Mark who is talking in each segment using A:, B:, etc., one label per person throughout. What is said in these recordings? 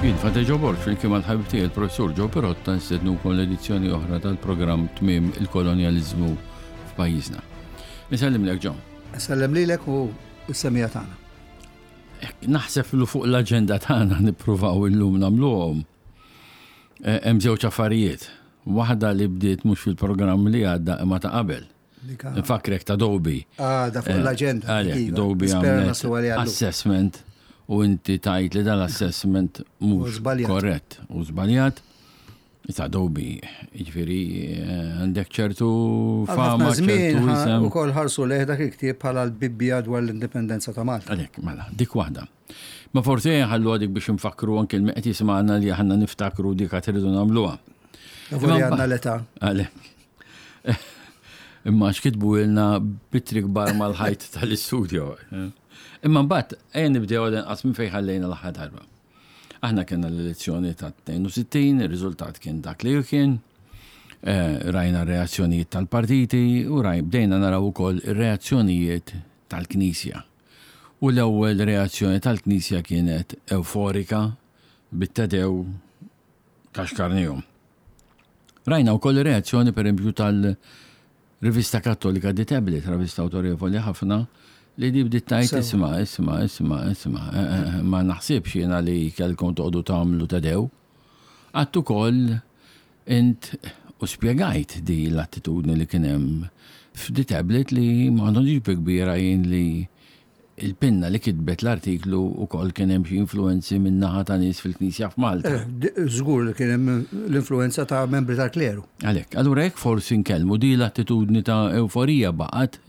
A: Jien Fate Ġo Borg flimkien mal-ħabib tiegħi il-Professur Joe Pirotta nstednukom l-edizzjoni oħra tal-programm Tmiem il-Kolonjaliżmu f'pajjiżna. Insellimlek Joe.
B: Insellem lilek u s-semija tagħna.
A: Naħseb li fuq l-aġenda tagħna nippruvaw illum nagħmluhom. Eh, hemm żewġ affarijiet. Waħda li bdiet mhux fil-programm li għadda imma ta' qabel. Nfakrek ta' Dobi.
B: Ah, da fuq eh, l-agenda.
A: Għalek, iva. Dobi għamlet assessment u inti tajt li dal-assessment mhux korrett u żbaljat. Ta' Dobi, jiġifieri eh, għandek ċertu fama,
B: ċertu isem. Ukoll ħarsu leh dak il-ktieb bħala l-Bibbja dwar l-indipendenza ta' Malta.
A: Għalek, mela, dik waħda. Ma forsi ħallu għadik biex nfakru anke l-meqt jisma'na li aħna niftakru dik għad irridu nagħmluha.
B: Imma għandna l-età.
A: Għalek. Imma x'kitbu ilna bitri kbar mal-ħajt tal-istudio. Imma mbagħad ejja nibdew għal inqas minn fejn ħallejna l-aħħar darba. Aħna kellna l-elezzjoni ta' 62, ir-riżultat kien dak li kien. Eh, rajna r-reazzjonijiet tal-partiti u raj bdejna naraw ukoll ir-reazzjonijiet tal-Knisja. U l-ewwel reazzjoni tal-Knisja kienet euforika bit-tedew kaxkarnihom. Rajna wkoll ir-reazzjoni pereżempju tal-rivista Kattolika The Tablet, rivista awtorevoli ħafna, li di bdiet tgħid isma' isma' isma' isma' eh, eh, eh, ma naħsibx jiena li kellkom toqgħodu tagħmlu tedew. Għadt ukoll int u spjegajt di l-attitudni li kien hemm f'The Tablet li ma għandhomx bi kbira jien li il-pinna li kitbet l-artiklu wkoll kien hemm xi influwenzi min-naħa ta' nies fil-Knisja f'Malta.
B: Eh, żgur li kien hemm l-influwenza ta' membri tal-kleru.
A: Għalhekk, allura jekk forsi nkellmu di l-attitudni ta' ewforija baqgħet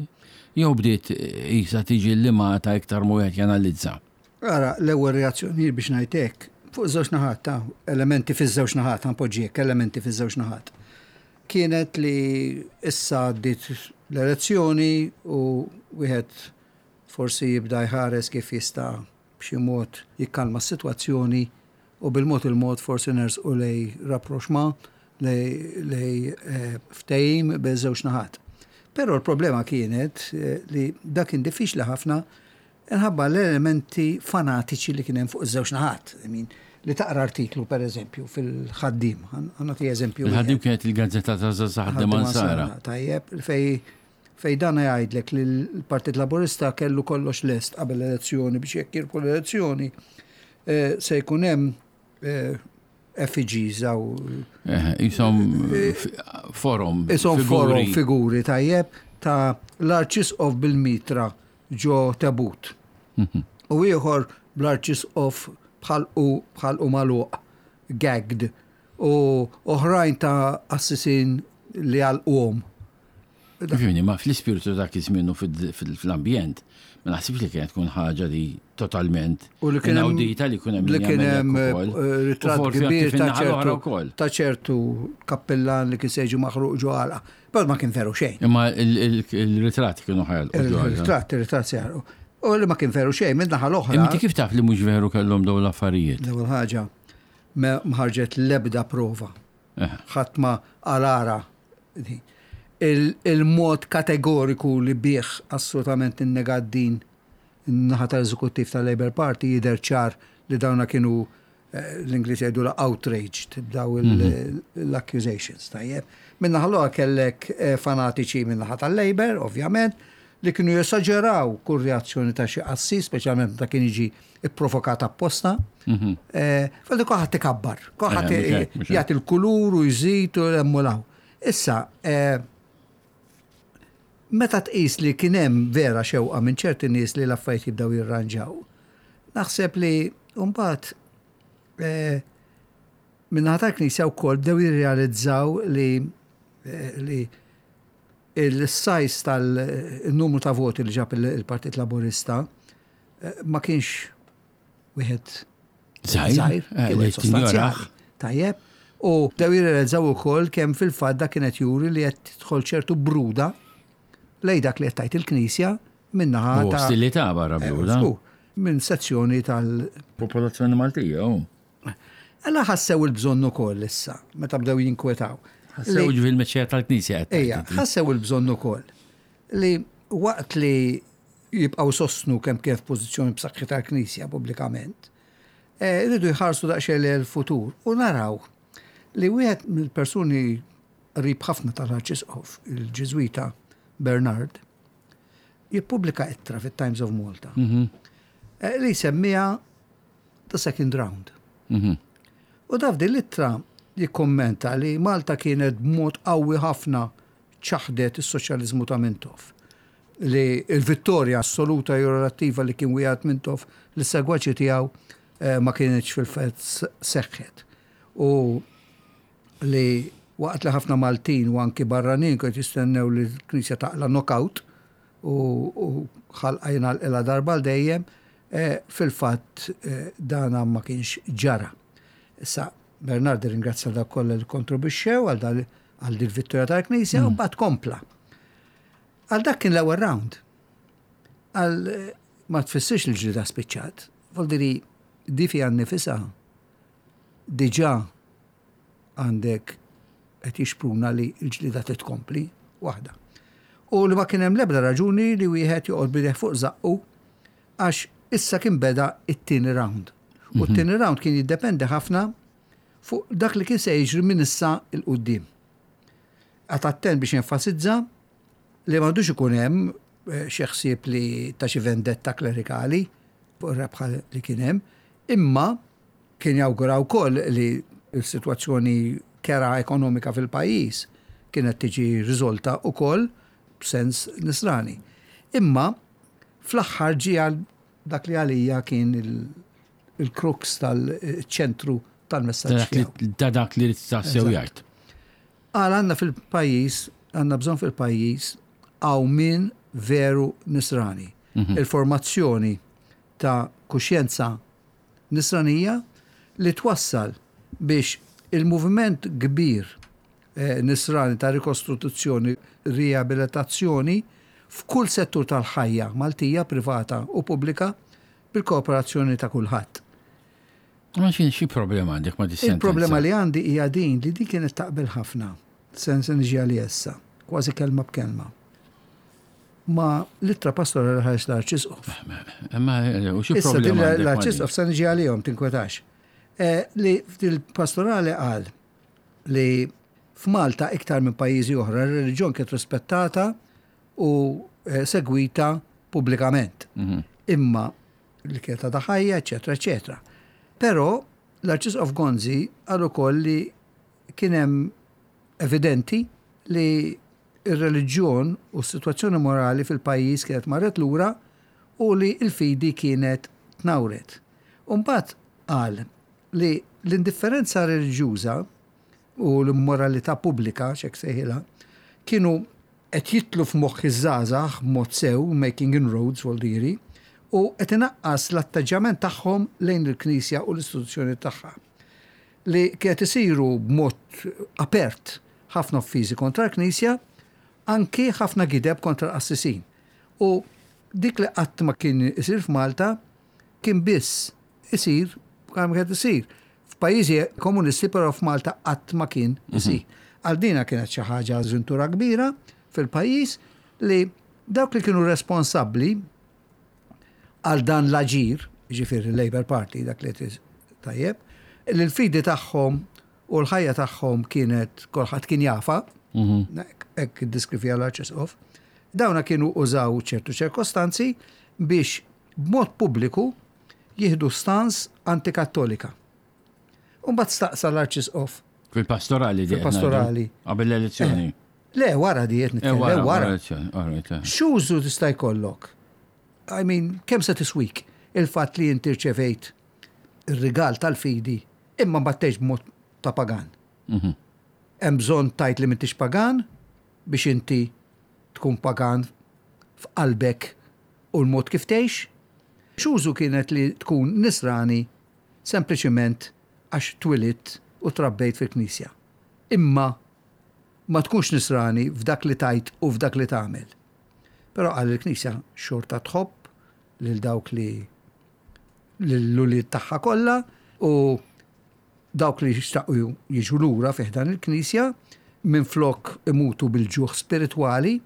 A: jew bdiet qisha tiġi llimata iktar ma wieħed janalizza.
B: Ara, l-ewwel reazzjonijiet biex ngħid hekk, fuq żewġ naħat ta' elementi fiż-żewġ naħat, ħa npoġġi hekk, elementi fiż-żewġ naħat. Kienet li issa għaddiet l-elezzjoni u wieħed forsi jibda jħares kif jista' b'xi mod jikkalma s-sitwazzjoni u bil-mod il-mod forsi nersqu lejn rapprochement, lejn ftehim bejn żewġ naħat. Però l-problema kienet li dak kien diffiċli ħafna Minħabba l-elementi fanatiċi li kien hemm fuq iż-żewġ naħat. I mean, li taqra artiklu, per eżempju, fil-ħaddim, nagħti eżempju.
A: Il-ħaddim kienet il-gazzetta ta' Żgħażagħ Ħaddiema Nsara.
B: Tajjeb, fej fej dan jgħidlek li l-Partit Laburista kellu kollox lest qabel l-elezzjoni biex jekk jirbħu l-elezzjoni eh, se jkun hemm eh, effigies għaw.
A: Eh, jisom forum.
B: Jisom forum figuri tajjeb ta' l-arċisqof bil-mitra ġo tebut. U ieħor bl-arċisqof b'ħalqu b'ħalqu magħluq, gagged, u oħrajn ta' qassisin li għalquhom.
A: Fimni, ma fl-ispirtu dak iż-żmien u fl-ambjent, ma naħsibx li kienet tkun ħaġa li totalment
B: U li kien hemm
A: inaudita li kien hemm
B: li kien hemm eh, ritratt kbir ta' ċertu ta' ċertu kappillan li kien se jiġi maħruq ġo għalqa. Però ma kien veru xejn.
A: Imma il-ritratti kienu ħajal.
B: Il-ritratt, il-ritratt se jaħarqu. U li ma kien veru xejn, minn naħa l-oħra.
A: Imma kif taf li mhux veru kellhom dawn l-affarijiet?
B: L-ewwel ħaġa, ma ħarġet l-ebda prova. Eh. Ħadd ma għalara. Il-mod kategoriku li bih assolutament innegat din in-naħa tal-eżekuttiv tal-Labour Party jidher ċar li dawna kienu l-Ingliż jgħidulha outraged b'daw l-accusations, tajjeb. Min-naħa l-oħra kellek eh, fanatiċi min-naħa tal-Labour, ovvjament, li kienu jesaġeraw kull reazzjoni ta' xi qassis, speċjalment meta kien jiġi ipprovokat apposta. Mhm. Eh, Falli kulħadd ikabbar, kulħadd eh, jagħti l-kulur u jżid u l-emmulaw. Issa, meta tqis li kien hemm vera xewqa minn ċerti nies li l-affarijiet jibdew jirranġaw, Naħseb li mbagħad eh, min-naħa tal-Knisja wkoll bdew jirrealizzaw li eh, li il-sajs tal-numru ta' voti li ġab il-Partit Laburista eh, ma kienx wieħed
A: żgħir, kien sostanzjali.
B: Tajjeb. U bdew jirrealizzaw ukoll kemm fil-fatt dak kienet juri li qed tidħol ċertu bruda lejn dak li qed tgħid il-Knisja Min-naħa
A: ta'. Ostilità barra eh, bluda.
B: Minn sezzjoni tal.
A: Popolazzjoni Maltija, u.
B: Alla ħassew il-bżonn ukoll issa, meta bdew jinkwetaw.
A: Ħassew ġifieri l-mexxejja tal-Knisja
B: qed. Ejja, ħassew il-bżonn ukoll li waqt li jibqgħu sostnu kemm kien f'pożizzjoni b'saħħitha l-Knisja pubblikament. Iridu jħarsu daqsxejn lejn il-futur u naraw li wieħed mill-persuni qrib ħafna tal-Arċisqof, il-Ġiżwita Bernard, jippubblika ittra fit-Times of Malta li jsemmiha The Second Round. U daf din l-ittra jikkommenta li Malta kienet b'mod qawwi ħafna ċaħdet is-soċjaliżmu ta' Mintoff. Li l-vittorja assoluta jew relattiva li kien wiegħed Mintoff lis-segwaċi tiegħu ma kinitx fil-fatt seħħet. U li waqt li ħafna Maltin u anki barranin kienu jistennew li l-Knisja taqla' knockout u ħalqa jingħalqilha darba għal dejjem, fil-fatt dana ma kienx ġara. Issa, Bernard irringrazzja dawk kollha li kkontribwixxew għal għal din vittorja tal-Knisja u mbagħad kompla. Għal dak kien l-ewwel round. Għal ma tfissirx li l-ġlieda spiċċat. Vuol di fiha nnifisha diġà għandek qed jixpruna li l-ġlieda titkompli waħda. U li ma kien hemm l-ebda raġuni li wieħed joqgħod bideh fuq żaqqu għax issa kien beda it-tieni round. U t-tieni round kien jiddependi ħafna fuq dak li kien se jiġri minn issa 'l quddiem. Qagħad attent biex jenfasizza li m'għandux ikun hemm xi ħsieb li ta' xi vendetta klerikali fuq ir-rebħa li kien hemm, imma kien jawgura wkoll li s-sitwazzjoni kerha ekonomika fil-pajjiż kienet tiġi riżolta wkoll b'sens nisrani. Imma fl-aħħar ġie għal dak li għalija kien il-crux tal-ċentru tal-messaġġ tiegħu.
A: Ta' dak li ried tassew jgħid.
B: Qal għandna fil-pajjiż, għandna bżonn fil-pajjiż qawmien veru nisrani. Il-formazzjoni ta' kuxjenza nisranija li twassal biex il-moviment kbir nisrani ta' rikostrutuzzjoni, riabilitazzjoni f'kull settur tal-ħajja Maltija, privata u pubblika, bil-kooperazzjoni ta' kulħadd.
A: Ma xi xi problema għandek ma' dis-sentenza?
B: Il-problema li għandi hija din li din kienet taqbel ħafna, se se niġi għaliha issa, kważi kelma b'kelma, ma' l-ittra pastorali li ħareġ l-Arċisqof.
A: Imma u xi problema għandek ma' din?
B: L-Arċisqof se niġi għalihom, tinkwetax. Li f'dil-pastorali qal li f'Malta iktar minn pajjiżi oħra r-reliġjon kienet rispettata u segwita pubblikament. Imma li kienet għadha ħajja, eċetera, eċetera. Però l-Arċisqof Gonzi qal ukoll li kien hemm evidenti li r-reliġjon u s-sitwazzjoni morali fil-pajjiż kienet marret lura u li l-fidi kienet tnawret. U mbagħad qal li l-indifferenza reliġjuża u l-immoralità pubblika, x'hekk sejħilha, kienu qed jidħlu f'moħħ iż-żgħażagħ b'mod sew, making inroads vuol dire, u qed inaqqas l-atteġġjament tagħhom lejn il-Knisja u l-istituzzjonijiet tagħha. Li kienet isiru b'mod apert ħafna offiżi kontra l-Knisja, anki ħafna gideb kontra l-qassisin. U dik li qatt ma kien isir f'Malta kien biss isir bħalma kienet isir f'pajjiżi komunisti però f'Malta qatt ma kien isir. Għal dina kienet xi ħaġa żintura kbira fil-pajjiż li dawk li kienu responsabbli għal dan l-aġir, jiġifieri l-Labour Party, dak li tajjeb, li l-fidi tagħhom u l-ħajja tagħhom kienet kulħadd kien jafha, hekk iddiskrivija l-Arċisqof, dawna kienu użaw ċertu ċirkostanzi biex b'mod pubbliku jieħdu stans antikattolika. U mbagħad staqsa l-Arċisqof.
A: Fil-pastorali di.
B: Fil-pastorali.
A: Qabel l-elezzjoni.
B: Le, wara di qed nitkellem, wara. X'użu tista' jkollok? I mean, kemm se tiswik il-fatt li inti rċevejt ir-rigal tal-fidi imma mbagħad tgħix b'mod ta' pagan. Hemm bżonn tgħid li m'intix pagan biex inti tkun pagan f'qalbek u l-mod kif tgħix? X'użu kienet li tkun nisrani sempliċiment għax twilidt u trabbejt fil-knisja, imma ma tkunx nisrani f'dak li tgħid u f'dak li tagħmel? Però qal il-knisja xorta tħobb lil dawk li lill-ulied tagħha kollha u dawk li xtaqu jiġu lura fi ħdan il-knisja minflok imutu bil-ġuħ spiritwali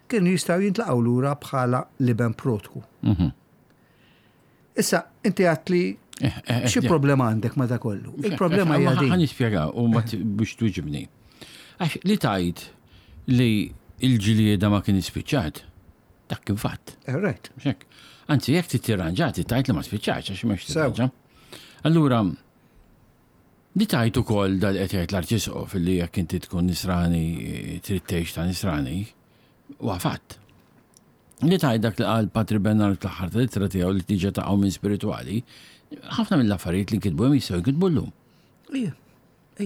B: kienu jistgħu jintlaqgħu lura bħala l-iben protku. Issa, inti għedt li
A: Eh, eh, eh,
B: Xi problema għandek ma' da kollu? Il-problema hija din.
A: Ħa nispjega u ma biex twiġibni. Għax li tajt li il-ġlieda ma kien spiċċat, dak kien fatt.
B: Right.
A: Xek. Anzi, jekk titirranġa, tajt li ma spiċċax, għax ma tirranġa. Allura, li tajt ukoll dal qed jgħid l-Arċisqof li jekk inti tkun nisrani trid tgħix ta' nisrani, huwa fatt. Li tgħid dak li qal Patri Bernard fl-aħħar tal-ittra tiegħu li tiġa taqgħu minn spiritwali, ħafna mill-affarijiet li nkitbu hemm jistgħu jinkitbu llum.
B: Ija,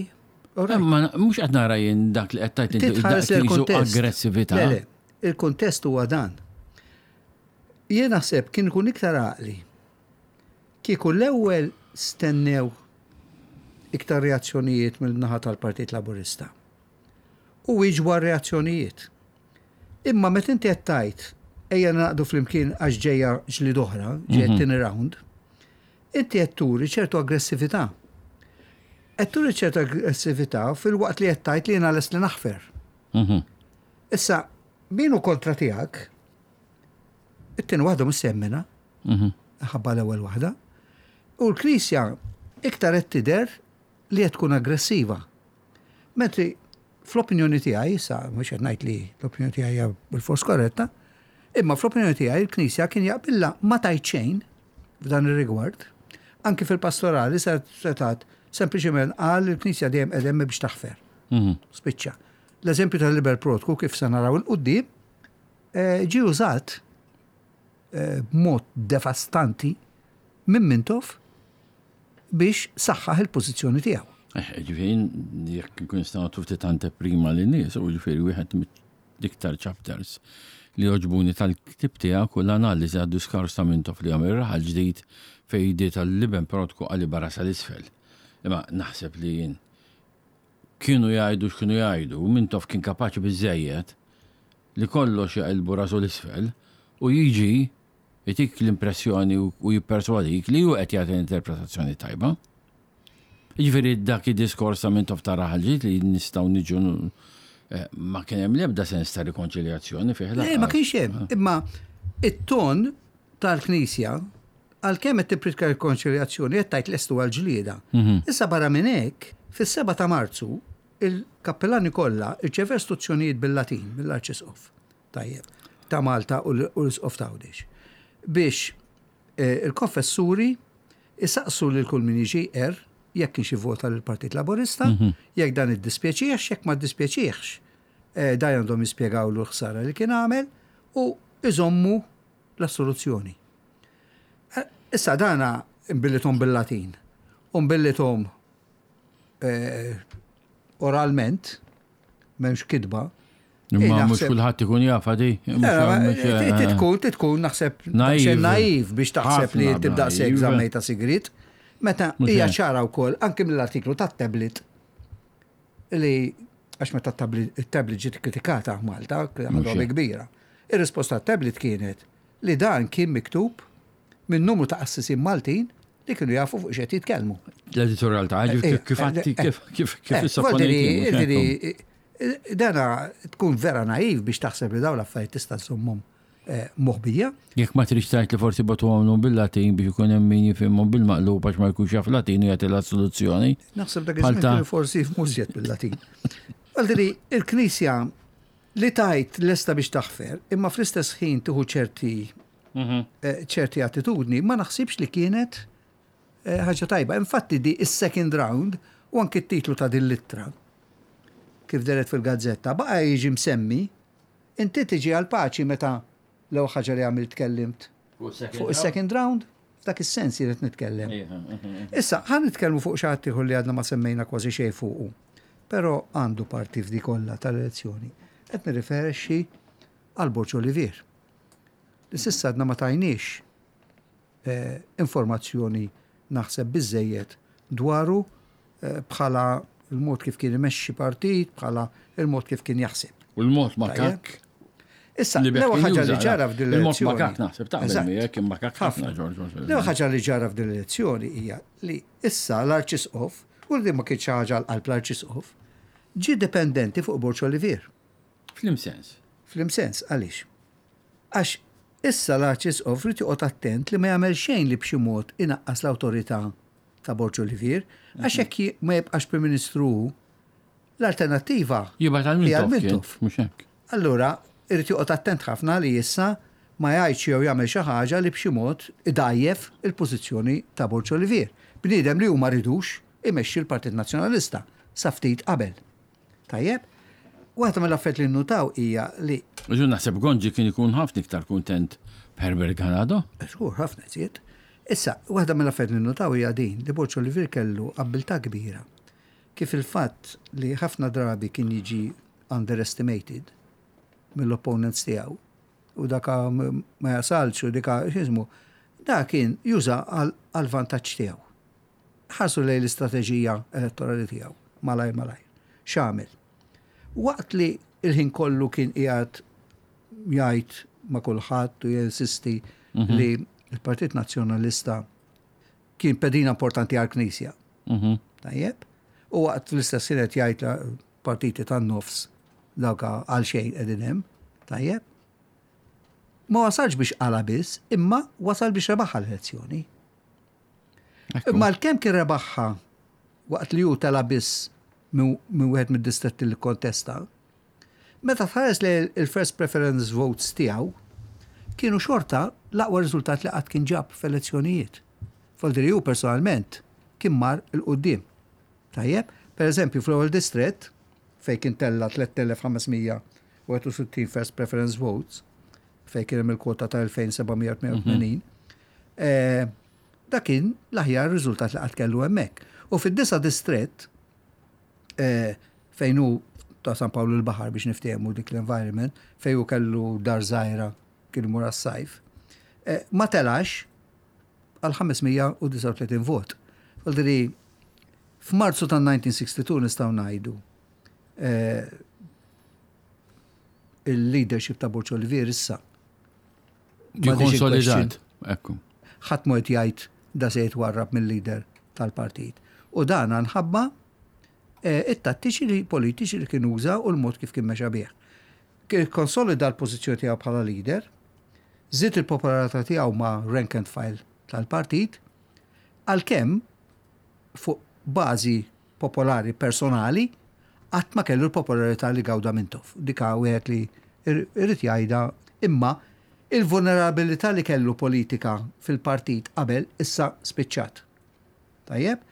B: ija.
A: Ma mhux qed nara jien dak li qed tgħid inti aggressività.
B: Le, le, il-kuntest huwa dan. Jien naħseb kien ikun iktar għaqli kieku l-ewwel stennew iktar reazzjonijiet mill-naħa tal-Partit Laburista. U wieġbu għar-reazzjonijiet. Imma meta inti qed tgħid ejja naqdu flimkien għax ġejja ġlied oħra, ġejja mhm. tieni round, inti qed turi ċertu aggressività. Qed turi ċertu aggressività fil-waqt li qed tgħid li jiena lest li naħfer. Mhm. Issa, min hu kontra tiegħek, it-tieni waħda mhux semmina, mhm. ħabba l-ewwel waħda, u l-Knisja iktar qed tidher li qed tkun aggressiva. Mentri fl-opinjoni tiegħi, issa mhux qed ngħid li l-opinjoni tiegħi hija bil-fors korretta, imma fl-opinjoni tiegħi l-Knisja kien jaqbilla ma tajt xejn f'dan ir-rigward, anki fil-pastorali setat sempliċement qal il-Knisja dejjem qegħdem biex taħfer. Mhm. Spiċċa. L-eżempju tal-Liber Protku kif se naraw il-qudiem eh, ġie użat eh, b'mod devastanti minn Mintoff biex saħħaħ il-pożizzjoni tiegħu.
A: Eh, ġifieri jekk nkun nistgħu nagħtu ftit anteprima lin-nies, u ġifieri wieħed l-iktar chapters li jogħġbuni tal-ktieb tiegħek u l-analiżi għad-diskors ta' Mintoff li għamel Raħal Ġdid fejn jdiet għall-iben protku qalibha rasha 'l isfel. Imma naħseb li jien kienu jgħidu x'kienu jgħidu, Mintoff kien kapaċi biżżejjed li kollox jaqilbu rasu 'l isfel u jiġi Itik l-impressjoni u jipperswadik li hu qed jagħti l-interpretazzjoni tajba. Jiġifieri dak id-diskors ta' Mintoff ta' Raħal Ġdid li nistgħu niġu eh, ma kien hemm l-ebda sens ta' rikonċiljazzjoni fih.
B: Le, ma kienx hemm. Ah. Imma it-ton tal-Knisja għalkemm qed tippritka rikonċiljazzjoni qed tgħid lestu għall-ġlieda. Mhm. Issa barra minn hekk, fis-7 ta' Marzu, il-kappellani kollha rċevew istruzzjonijiet bil-Latin mill-Arċisqof. Tajjeb, ta' Malta u l-Isqof ta' Għawdex. Biex eh, il-konfessuri isaqsu lil kull min jiġi er jekk kienx ivvota lill-Partit Laburista, mhm. jekk dan iddispjaċihx, jekk ma ddispjaċihx, eh, dan għandhom jispjegawlu l-ħsara li kien għamel u iżommu l-assoluzzjoni. Eh, issa dana mbilithom bil-Latin, u mbilithom oralment, m'hemmx kitba.
A: Imma mhux kulħadd ikun jaf di.
B: Titkun, titkun naħseb naiv biex taħseb li tibda sek żammejta sigrit. Meta hija ċara wkoll anke mill-artiklu tat-tablet li għax meta t-tablet ġiet kritikata Malta, ħadha kbira. Ir-risposta tat-tablet kienet li dan kien miktub minn numru ta' qassisin Maltin li kienu jafu fuq x'qed jitkellmu.
A: L-editorial ta' eh, eh, kif għatti eh, kif kif kif
B: Dana tkun vera naiv biex taħseb li dawn l-affarijiet tista' żommhom moħbija.
A: Jekk ma tridx tgħid li forsi batu għamlu bil-Latin biex ikun hemm min jifhimhom bil-maqlub għax ma jkunx jaf Latin u jagħti l-soluzzjoni.
B: Naħseb dak iż-żmien forsi jifhmu żjed bil-Latin. Għaldiri, il-Knisja li tajt lesta biex taħfer, imma fl-istess ħin tieħu ċerti mhm. eh, ċerti attitudni, ma naħsibx li kienet eh, ħaġa tajba. Infatti di is-second round u anki t-titlu ta' din l-ittra kif deret fil-gazzetta, baqa jiġi msemmi, inti tiġi għal paċi meta l-ewwel ħaġa li għamilt tkellimt fuq is-second round, f'dak is-sens jien qed nitkellem. Issa, ħa nitkellmu fuq xi ħadd ieħor li għadna ma semmejna kważi xejn fuqu. Però għandu parti f'di kollha tal-elezzjoni. Qed nirriferixxi għal Borg Olivier. Li s'issa għadna ma tajniex eh, informazzjoni naħseb biżejjed dwaru eh, bħala il-mod kif kien imexxi partit, bħala il-mod kif kien jaħseb.
A: U l-mod ma kak.
B: Issa, l-ewwel ħaġa li ġara f'din
A: l-elezzjoni. Il-mod makak naħseb taqbel miegħek imma makak ħafna
B: Ġorġ. L-ewwel ħaġa li ġara f'din l-elezzjoni hija li issa l-Arċisqof, u li ma kienx ħaġa l-qalb l-Arċisqof, ġie dipendenti fuq Borġ Olivier.
A: Flim sens.
B: Flim sens, għaliex? Għax Issa l-Arċisqof ried joqgħod attent li ma jagħmel xejn li b'xi mod inaqqas l-awtorità ta' Borg Olivier, għax jekk ma jibqax Prim Ministru hu, l-alternattiva
A: Jibgħat għal
B: hija
A: Mintoff kien,
B: Mintoff.
A: mhux hekk.
B: Allura, irid joqgħod attent ħafna li issa ma jgħidx jew jagħmel xi ħaġa li b'xi mod idgħajjef il-pożizzjoni ta' Borg Olivier, bniedem li hu ma ridux imexxi l-Partit Nazzjonalista sa ftit qabel. Tajjeb? Waħda mill-affarijiet li nnutaw hija li.
A: Ġu naħseb Gonzi kien ikun ħafna iktar kuntent b'Herbert Ganado.
B: Żgur, ħafna iżjed. Issa, waħda mill-affarijiet li nnutaw hija din li Borg Olivier kellu abbiltà kbira kif il-fatt li ħafna drabi kien jiġi underestimated mill-opponents tiegħu u daka ma jasalx u dika x'ismu, da kien juża għall-vantaġġ tiegħu. Ħarsu lejn l-istrateġija elettorali tiegħu malajr malajr. X'għamel? Waqt li l-ħin kollu kien qiegħed jgħid ma' kulħadd u jinsisti mhm. li l-Partit Nazzjonalista kien pedina importanti għall-Knisja. Mhm. Tajjeb? U waqt l-istess kienet jgħid partiti tan-nofs dawk għal xejn qegħdin hemm. Tajjeb? Ma wasalx biex qala biss, imma wasal biex rebaħha l-elezzjoni. Imma l-kemm kien rebaħha waqt li hu tela biss minn wieħed mid-distretti li kontesta, meta tħares li il-first preference votes tiegħu kienu xorta l-aqwa riżultat li qatt kien ġab f'elezzjonijiet. Voldiri hu personalment kien mar 'il quddiem. Tajjeb, per eżempju fl-ewwel distrett fejn kien tella 3561 first preference votes, fejn kien hemm il-kwota ta' 2788, eh, dak kien l-aħjar riżultat li qatt kellu hemmhekk. U fid-disa distrett eh, fejn hu ta' San Pawl il-Baħar biex niftehmu dik l-environment, fejn hu kellu dar żgħira kien imur għas-sajf, eh, ma telax għal 539 vot. Vuoldiri, f'Marzu tan-1962 nistgħu ngħidu eh, il-leadership ta' Borg Olivier issa.
A: Ġie konsolidat. Ekku.
B: Ħadd ma qed jgħid da se jitwarrab mill-leader tal-partit. U dan nħabba eh, it-tattiċi li politiċi li kien uża u l-mod kif kien mexa bih. Kien konsolida l-pożizzjoni tiegħu bħala leader, żied il-popolarità tiegħu ma' rank and file tal-partit, għalkemm fuq bażi popolari personali qatt ma kellu l-popolarità li gawda Mintoff. Dika wieħed li irrid jgħidha imma il-vulnerabilità li kellu politika fil-partit qabel issa spiċċat. Tajjeb?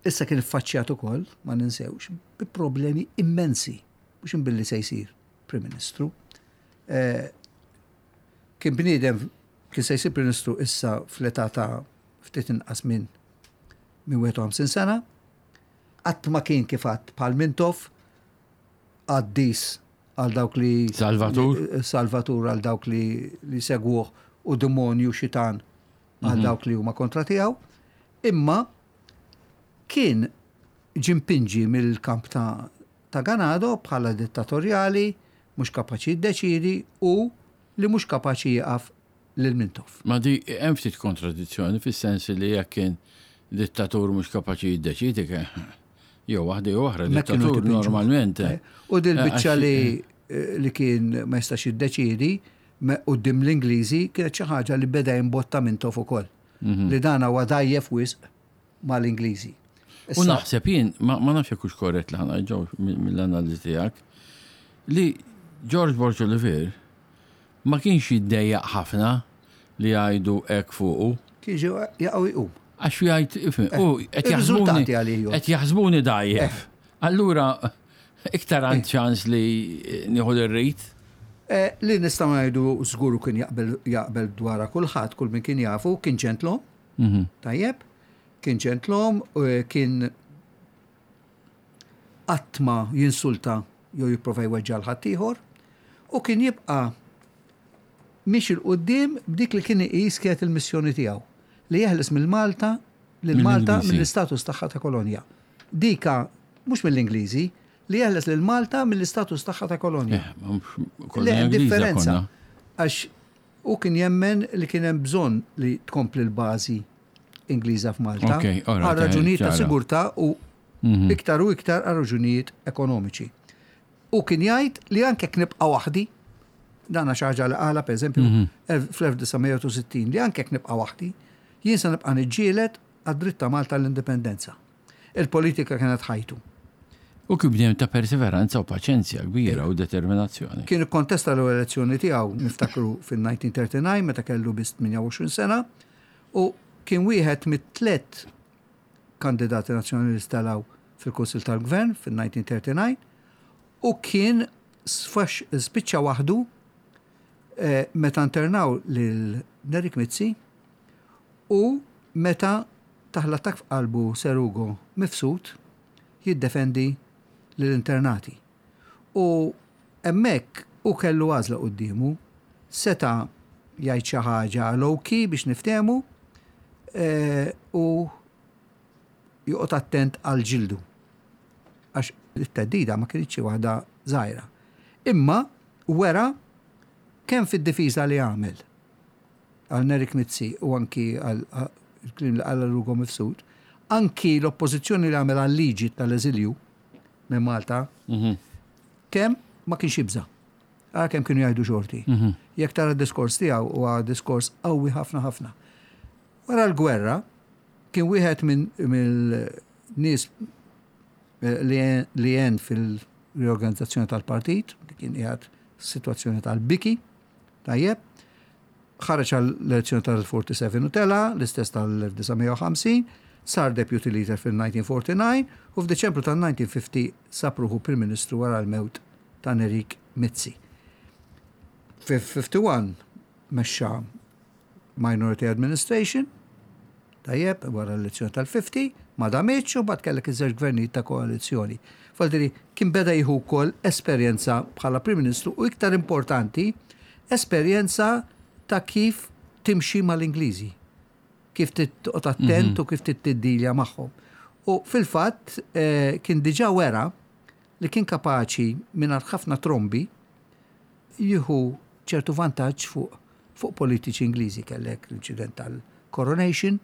B: Issa kien iffaċċjat ukoll, ma ninsewx, bi problemi immensi, mhux imbilli se jsir Prim Ministru. Eh, kien bniedem kien se jsir Prim Ministru issa fl-età ta' ftit inqas minn minn 51 sena, qatt ma kien kif għadd bħal Mintoff, qaddis għal dawk li.
A: Salvatur.
B: Salvatur għal dawk li, li segwuh u demonju xitan għal mhm. dawk li huma kontra tiegħu. Imma kien ġimpinġi mill-kamp ta', ta' Ganado bħala dittatorjali, mhux kapaċi jiddeċidi u li mhux kapaċi jieqaf lil Mintoff.
A: Ma di hemm ftit kontradizzjoni fis-sens li jekk kien dittatur mhux kapaċi jiddeċiedi jew waħda jew oħra dittatur normalment.
B: Eh, u dil eh, biċċa li eh, li kien ma jistax jiddeċiedi quddiem l-Ingliżi kienet xi ħaġa li beda jimbotta Mintoff ukoll. Mhm. Li dan huwa dajjef wisq mal-Ingliżi.
A: U naħseb jien, ma nafx jekk hux korrett li ħana ġew mill-analiżi tiegħek, li George Borg Olivier Ma kienx jiddejjaq ħafna li jgħidu hekk fuqu.
B: Kien ġew jaqgħu jqum.
A: Għax jgħid, ifhem, u qed jaħsbuni qed jaħsbuni dgħajjef. Allura iktar għand ċans li nieħu li rrid.
B: Li nistgħu ngħidu żgur u kien jaqbel jaqbel dwarha kulħadd, kull min kien jafu, kien ġentlom. Tajjeb? Kien ġentlom, kien qatt ma jinsulta jew jipprova jweġġa' 'l ħaddieħor, u kien jibqa' miexi 'l quddiem b'dik li kien iqis kienet il-missjoni tiegħu, li jeħles minn Malta lil Malta mill-istatus tagħha ta' kolonja. Dika mhux mill-Ingliżi, li jeħles lil Malta mill-istatus tagħha ta' kolonja.
A: Le,
B: hemm differenza. Għax hu kien jemmen li kien hemm bżonn li tkompli l-bażi Ingliża f'Malta għal raġunijiet ta' sigurtà u mhm. iktar u iktar għal raġunijiet ekonomiċi. U kien jgħid li anke jekk nibqa' waħdi. Dana xi ħaġa li qalha pereżempju fl-1960 li anke jekk nibqa' waħdi, jien se nibqa' niġġieled għad-dritt ta' Malta għall-indipendenza. Il-politika kienet ħajtu.
A: U kien bniedem ta' perseveranza u paċenzja kbira u determinazzjoni.
B: Kien ikkontesta l-ewwel elezzjoni tiegħu, niftakru fil-1939 meta kellu biss 28 sena u kien wieħed mit-tlet kandidati nazzjonali li telgħu fil-Kunsill tal-Gvern fil-1939 u kien spiċċa waħdu meta internaw lil Nerik Mizzi u meta tah l-attakk f'qalbu Sir Ugo Mifsud jiddefendi lill-internati. U hemmhekk hu kellu għażla quddiemu, seta' jgħid xi ħaġa low-key biex niftehmu u joqgħod attent għal ġildu. Għax it-theddida ma kinitx xi waħda żgħira. Imma wera kemm fid-difiża li għamel għal Nerik Mizzi u anki għal il-kliem li qal għal Ugo Mifsud, anki l-oppożizzjoni li għamel għal-liġi tal-eżilju minn Malta, kemm ma kienx jibża'. Ara kemm kienu jgħidu xorti. Jekk tara d-diskors tiegħu huwa diskors qawwi ħafna ħafna. Wara l-gwerra kien wieħed mill-nies li għen fil-riorganizzazzjoni tal-partit, li kien qiegħed situazzjoni tal-biki, tajjeb, ħareġ għall-elezzjoni tal-47 u tela, l-istess tal-1950, sar deputy leader fil-1949 u f'Diċembru tal-1950 sab ruħu Prim Ministru wara l-mewt ta' Nerik Mizzi. Fi-51 mexxa Minority Administration, tajjeb, wara l-elezzjoni tal-50, ma damitx u mbagħad kellek iż-żewġ gvernijiet ta' koalizzjoni. Faldiri kien beda jieħu wkoll esperjenza bħala Prim Ministru u iktar importanti, esperjenza ta' kif timxi mal-Ingliżi, kif toqgħod attent u kif tiddilja magħhom. U fil-fatt kien diġà wera li kien kapaċi mingħajr ħafna trombi jieħu ċertu vantaġġ fuq fuq politiċi Ingliżi. Kellek l-inċident tal-coronation.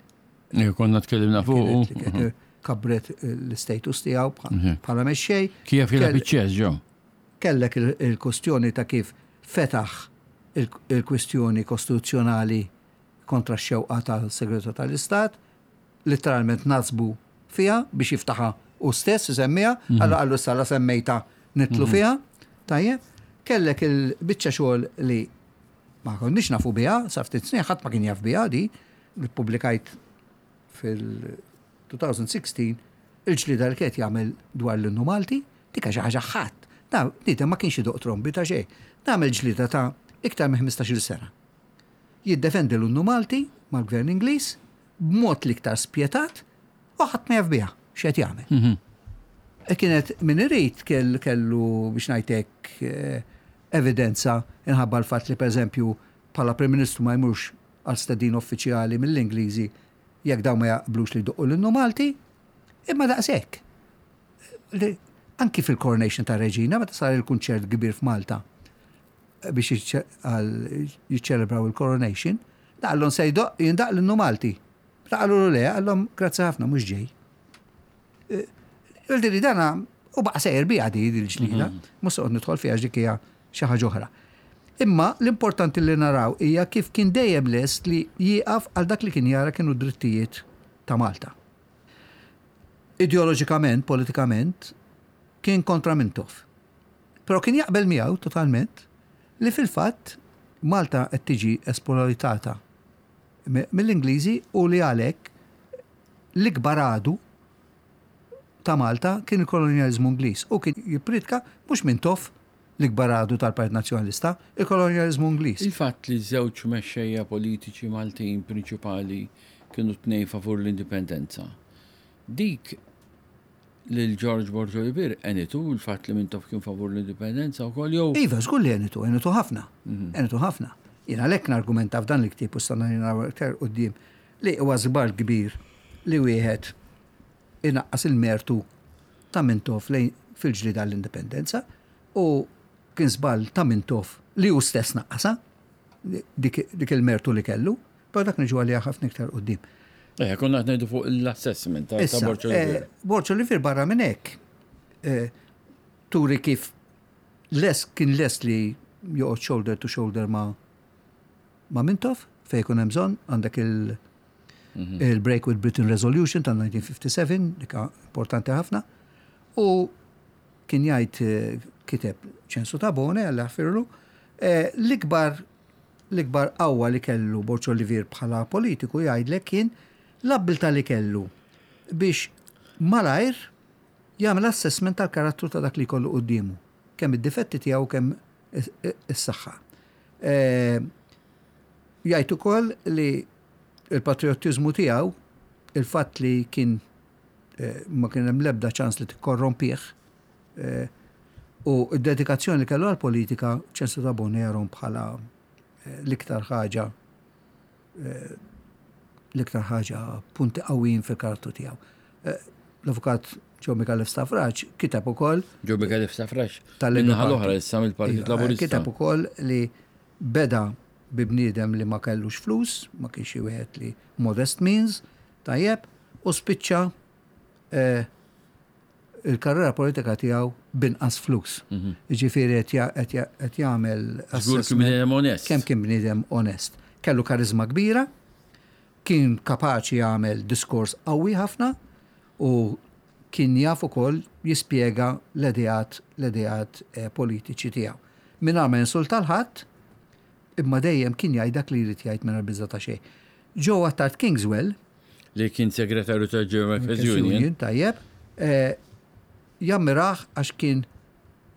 A: Konna tkellimna fuq.
B: Kabret l-status tiegħu bħala mexxej.
A: Kif jilgħab iċ-ċess ġo.
B: Kellek il-kwestjoni ta' kif fetaħ il-kwestjoni kostituzzjonali kontra x-xewqa tal-Segretarju tal-Istat, litteralment nasbu fiha biex jiftaħha hu stess isemmiha, allura qallu issa la semmejtha nidħlu fiha. Tajjeb, kellek il-biċċa xogħol li ma konniex nafu biha, sa ftit snin ħadd ma kien jaf biha di, li ppubblikajt fil-2016, il-ġlieda li kienet jagħmel dwar l-innu Malti, dik xi ħaġa ħadd. Da bniedem ma kienx idoq trombi ta' xejn. Għamel ġlieda ta' iktar minn 15-il sena. Jiddefendi l-innu Malti mal-Gvern Ingliż b'mod l-iktar spjetat u ħadd ma jaf biha x'qed jagħmel. E kienet min irid kellu biex ngħidlek evidenza inħabba l-fatt li pereżempju bħala Prim Ministru ma jmurx għal stedin uffiċjali mill-Ingliżi jekk dawn ma jaqblux li jdoqqu l-innu Malti, imma daqshekk. Anki fil-coronation ta' Reġina, meta sar il-kunċert kbir f'Malta biex jiċċelebraw il-coronation, daqallhom se jindaq l-innu Malti. Meta qalulu le, qallhom grazzi ħafna mhux ġej. Vuol dana u baqa' sejjer biha di l-ġlida, mhux se nidħol fiha dik hija xi ħaġa oħra. Imma l-importanti li naraw hija kif kien dejjem lest li jieqaf għal dak li kien jara kienu drittijiet ta' Malta. Ideoloġikament, politikament, kien kontra Mintoff. Però kien jaqbel miegħu totalment li fil-fatt Malta qed tiġi esploitata mill-Ingliżi u li għalhekk l-ikbar għadu ta' Malta kien il-kolonjaliżmu Ingliż u kien jippriedka mhux Mintoff l-ikbar għadu tal-Partit Nazzjonalista, il-kolonjaliżmu Ingliż.
A: Il-fatt li żewġ mexxejja politiċi Maltin prinċipali kienu tnejn favur l-indipendenza. Dik lil George Borg Olivier għenitu l-fatt li Mintoff kien favur l-indipendenza wkoll jew?
B: Iva, żgur li għenitu, għenitu ħafna. Għenitu ħafna. Jien għalhekk nargumenta f'dan il-ktieb u stanna naraw iktar quddiem li huwa żball kbir li wieħed inaqqas il-mertu ta' Mintoff lejn fil-ġlieda għall-indipendenza u kien żball ta' Mintoff li hu stess naqqasha dik il-mertu li kellu, però dak niġu għaliha ħafna iktar quddiem.
A: Eh, konna qed ngħidu fuq l-assessment ta' Borg
B: Olivier. Borg Olivier barra minn hekk turi kif les kien les li joqgħod shoulder to shoulder ma' ma' Mintoff fejn ikun hemm bżonn, għandek il- il-Break with Britain Resolution tal-1957, dik importanti ħafna, u kien jgħid kiteb Ċensu Tabone, Alla jaħfirlu, l-ikbar l-ikbar qawwa li kellu Borg Olivier bħala politiku jgħidlek kien l-abbiltà li kellu biex malajr jagħmel assessment tal-karattru ta' dak li jkollu quddiemu, kemm id-difetti tiegħu kemm is-saħħa. Jgħid ukoll li l-patriottiżmu tiegħu, il-fatt li kien ma kien hemm l-ebda ċans li tikkorrompih, u d-dedikazzjoni li kellu għall-politika, Ċensu Tabone jarhom bħala l-iktar ħaġa l-iktar ħaġa punti qawwijin fil-karattru tiegħu. L-avukat Joe Micallef Stafrace kiteb ukoll.
A: Joe Micallef Stafrace tal-naħa l-oħra issa mill-Partit iva, Laburista.
B: Kiteb ukoll li beda bi bniedem li ma kellux flus, ma kienx xi wieħed li modest means, tajjeb, u spiċċa eh, il-karriera politika tiegħu binqas flus. Mhm. Jiġifieri qed jagħmel
A: Żgur kien bniedem onest.
B: Kemm kien bniedem onest. Kellu karizma kbira, kien kapaċi jagħmel diskors qawwi ħafna u kien jaf ukoll jispjega l-ideat l-ideat eh, politiċi tiegħu. Mingħajr ma jinsulta l-ħadd, imma dejjem kien jgħid dak li jrid jgħid mingħajr biża' ta' xejn. Joe Attard Kingswell,
A: Li kien segretarju tal-German Workers Union.
B: Tajjeb, eh, jammirah għax kien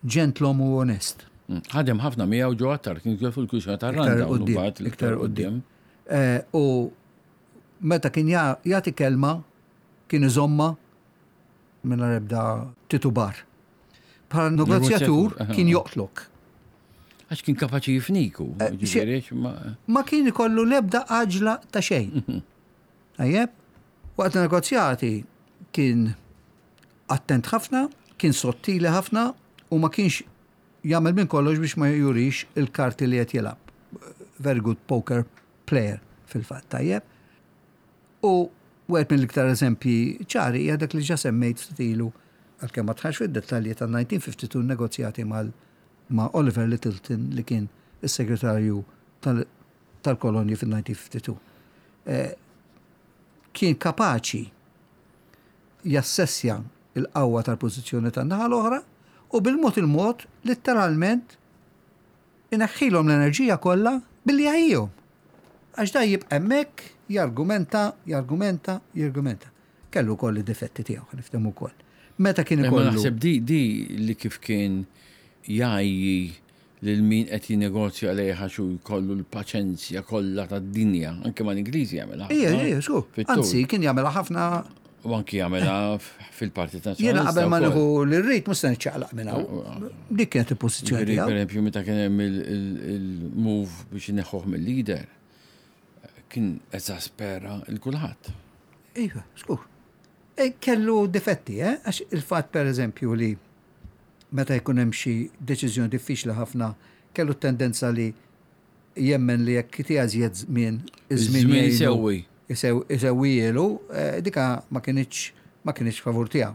B: ġentlom u onest.
A: Mm. Ħadem ħafna miegħu Joe Attard Kingswell fil-kwistjoni tar-Randa.
B: Iktar quddiem. Eh, u meta kien jagħti kelma kien iżomma mingħajr ebda titubar. Bħala negozjatur kien joqtlok.
A: Għax kien kapaċi jifniku.
B: Eh, ma kien ikollu l-ebda għaġla ta' xejn. Tajjeb, waqt negozjati kien attent ħafna, kien sottili ħafna u ma kienx jagħmel minn kollox biex ma jurix il-karti li qed jilgħab. Very good poker player fil-fatt, tajjeb. U wieħed mill-iktar eżempji ċari hija dak li ġa semmejt ftit ilu għalkemm ma dħalx fid-dettalji tan-1952 negozjati mal ma' Oliver Lyttelton li kien is-segretarju tal-kolonji fin-1952. Eh, kien kapaċi jassessja il-qawwa tal-pożizzjoni tan-naħa l-oħra u bil-mod il-mod litteralment ineħħilhom l-enerġija kollha billi jgħajjihom. Għax da jibqa' hemmhekk jargumenta, jargumenta, jargumenta. Kellu wkoll id-difetti tiegħu, ħa niftehmu wkoll. Meta kien ikollu.
A: Naħseb di di li kif kien jgħajji lil min qed jinnegozja lejh għax hu jkollu l-paċenzja kollha tad-dinja, anke mal-Ingliżi jagħmilha.
B: Ija, ija, xu. Anzi, kien jagħmilha ħafna.
A: U anki jagħmilha fil-Partit Nazzjonalista.
B: Jiena qabel ma nieħu li rrid mhux se niċċaqlaq minn hawn. Dik kienet il-pożizzjoni
A: tiegħu. Per meta kien hemm il-move biex ineħħuh mill-leader, kien eżaspera il kulħadd.
B: Iva, skur. E, kellu difetti, eh? Għax il-fatt per eżempju li meta jkun hemm xi deċiżjoni diffiċli ħafna kellu t-tendenza li jemmen li jekk itiha iżjed żmien,
A: iż-żmien isewwi.
B: Isewwielu, eh, dika ma kinitx ma kinitx favur tiegħu.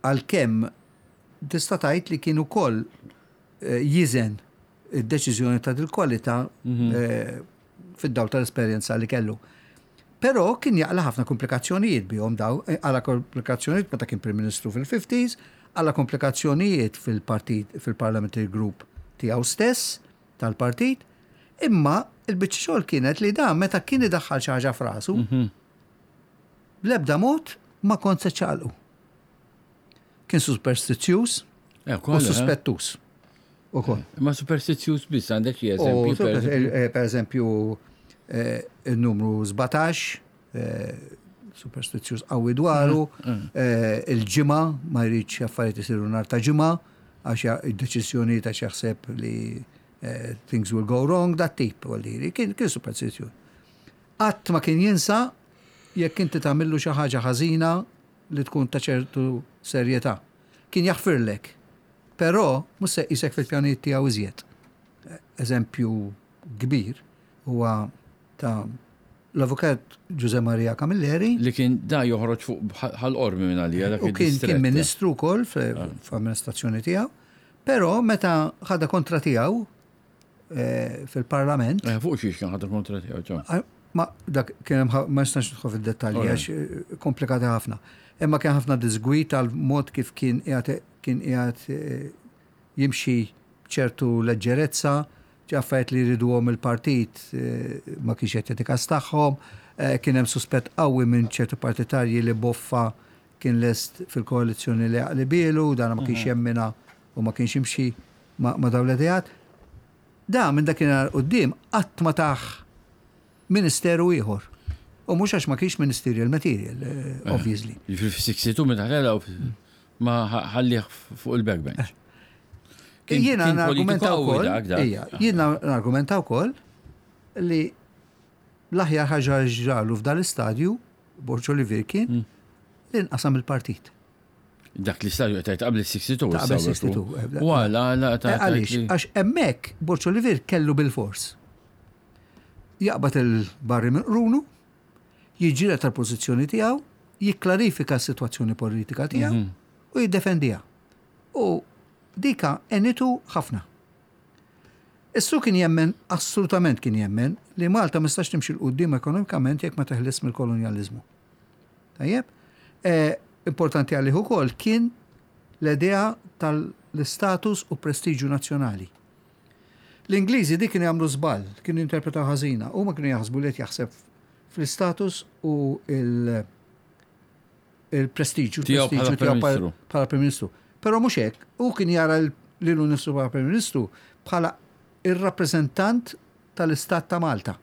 B: Għalkemm tista' tgħid li kien ukoll eh, jiżen id-deċiżjoni ta' dil-kwalità mhm. eh, fid-dawl tal-esperjenza li kellu. Però kien jaqla' ħafna komplikazzjonijiet bihom daw, eh, għala komplikazzjonijiet meta kien Prim Ministru fil-50s, għala komplikazzjonijiet fil-partit, fil-parliamentary group tiegħu stess, tal-partit, imma il-biċċa xogħol kienet li dan meta kien idaħħal xi ħaġa f'rasu, mhm. bl-ebda mod ma kont se ċaqalqu. Kien superstizzjuż eh, u eh? suspettuż.
A: Ukoll. Ma superstizzjuż biss għandek xi eżempju.
B: Eh, per eżempju, il-numru 17, superstizzjuż qawwi dwaru, mm, mm. il-ġimgħa ma jridx affarijiet isiru nhar ta' ġimgħa għax id-deċiżjonijiet għax jaħseb li things will go wrong, dat tip, kien superstizzjuż. Qatt ma kien jinsa jekk inti tagħmillu xi ħaġa ħażina li tkun ta' ċertu serjetà. Kien jaħfirlek, però mhux se jqisek fil-pjanijiet tiegħu iżjed. Eżempju kbir huwa ta' l-Avukat Ġużè Maria Camilleri.
A: Li kien da joħroġ fuq Ħal Qormi minn għalija
B: dak U kien kien ministru wkoll fl-amministrazzjoni tiegħu. Però meta ħadha kontra tiegħu, fil-Parlament.
A: Fuq xiex kien ħadha kontra tiegħu ġo.
B: Ma dak kien hemm ma nistax nidħol fid-dettalji għax komplikati ħafna. Imma kien ħafna diżgwid tal-mod kif kien qiegħed kien qiegħed jimxi b'ċertu leġġerezza, affarijiet li jriduhom il-partit ma kienx qed jagħti kas tagħhom, kien hemm suspett qawwi minn ċertu partitarji li Boffa kien lest fil-koalizzjoni li jaqlibielu, dan ma kienx jemminha u ma kienx jimxi ma' dawn l-ideat. Da minn dakinhar 'l quddiem qatt ma tah ministeru ieħor. U mhux għax ma kienx ministerial material, obviously.
A: Jiġifieri fis-62 meta telgħu ma ħallih fuq il-backbench.
B: Jiena nargumenta wkoll, jiena nargumenta wkoll li l-aħjar ħaġa ġralu f'dan l-istadju, Borg Olivier kien, li nqasam il-partit.
A: Dak l-istadju qed tgħid qabel is-62.
B: Qabel 62.
A: U għala għala
B: ta' Għaliex, għax hemmhekk Borg Olivier kellu bil-fors. Jaqbad il-barri minn qrunu, jiġġieled tal-pożizzjoni tiegħu, jikklarifika s-sitwazzjoni politika tiegħu u jiddefendiha. U dika għenitu ħafna. Issu kien jemmen, assolutament kien jemmen, li Malta ma tistax timxi 'l quddiem ekonomikament jekk ma teħlis mill-kolonjaliżmu. Tajjeb? Importanti għalih ukoll kien l-idea tal-istatus u prestiġju nazzjonali. L-Ingliżi dik kienu jagħmlu żball, kienu jinterpretaw ħażina, huma kienu jaħsbu li qed jaħseb fl-istatus u il-prestiġju
A: tiegħu
B: bħala Prim Ministru. Però mhux hekk, hu kien jara lilu nnifsu bħala Prim Ministru bħala ir-rappreżentant tal-Istat ta' Malta.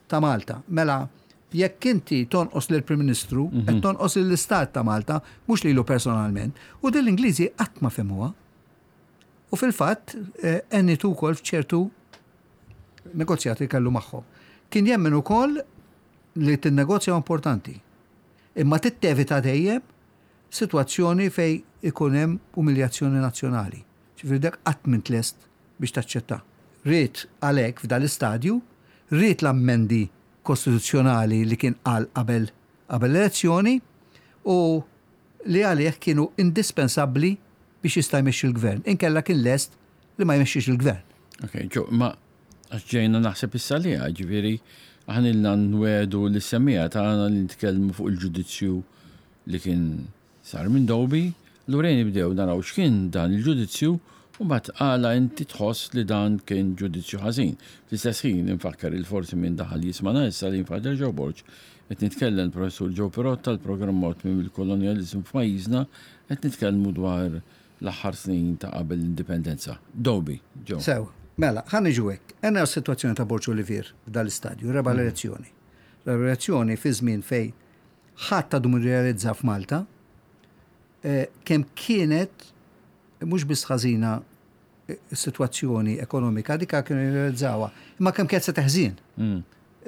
B: Ta' Malta. Mela, jekk inti tonqos lill-Prim Ministru, qed tonqos lill-Istat ta' Malta, mhux lilu personalment. U din l-Ingliżi qatt ma fehmuha. U fil-fatt għenitu wkoll f'ċertu negozjati li kellu magħhom. Kien jemmen ukoll li tinnegozja importanti. Imma tittevita dejjem sitwazzjoni fejn ikun hemm umiljazzjoni nazzjonali. Ġifieri dak qatt m'int lest biex taċċetta. Ried għalhekk f'dan l-istadju, ried l-ammendi kostituzzjonali li kien qal qabel qabel l-elezzjoni u li għalih kienu indispensabbli biex jista' jmexxi l-gvern, inkella kien lest li ma jmexxix il-gvern.
A: Ok, ġo, ma għax ġejna naħseb issa li ġifieri aħna ilna nwedu lis-semmiegħa tagħna li nitkellmu fuq il-ġudizzju li kien sar minn Doby, allura ejja nibdew naraw x'kien dan il-ġudizzju u mbagħad għala inti tħoss li dan kien ġudizzju ħażin. Fl-istess ħin infakkar il forsi min daħal jismagħna issa li Father Joe Borg qed nitkellem l-Professur Joe Pirotta l-programm Mod Tmiem il-Kolonjaliżmu f'pajjiżna qed nitkellmu dwar l-aħħar snin ta' qabel l-Indipendenza. Doby, Joe.
B: Sew, mela, ħa niġu hekk. Ejja naraw s-sitwazzjoni ta' Borg Olivier f'dan l-istadju, rebaħ l-elezzjoni. Rebaħ l-elezzjoni fi żmien fejn ħadd għadu ma rrealizza f'Malta kemm kienet mhux biss ħażina s-sitwazzjoni ekonomika, dika kienu jirrealizzawha, imma kemm kienet se teħżien.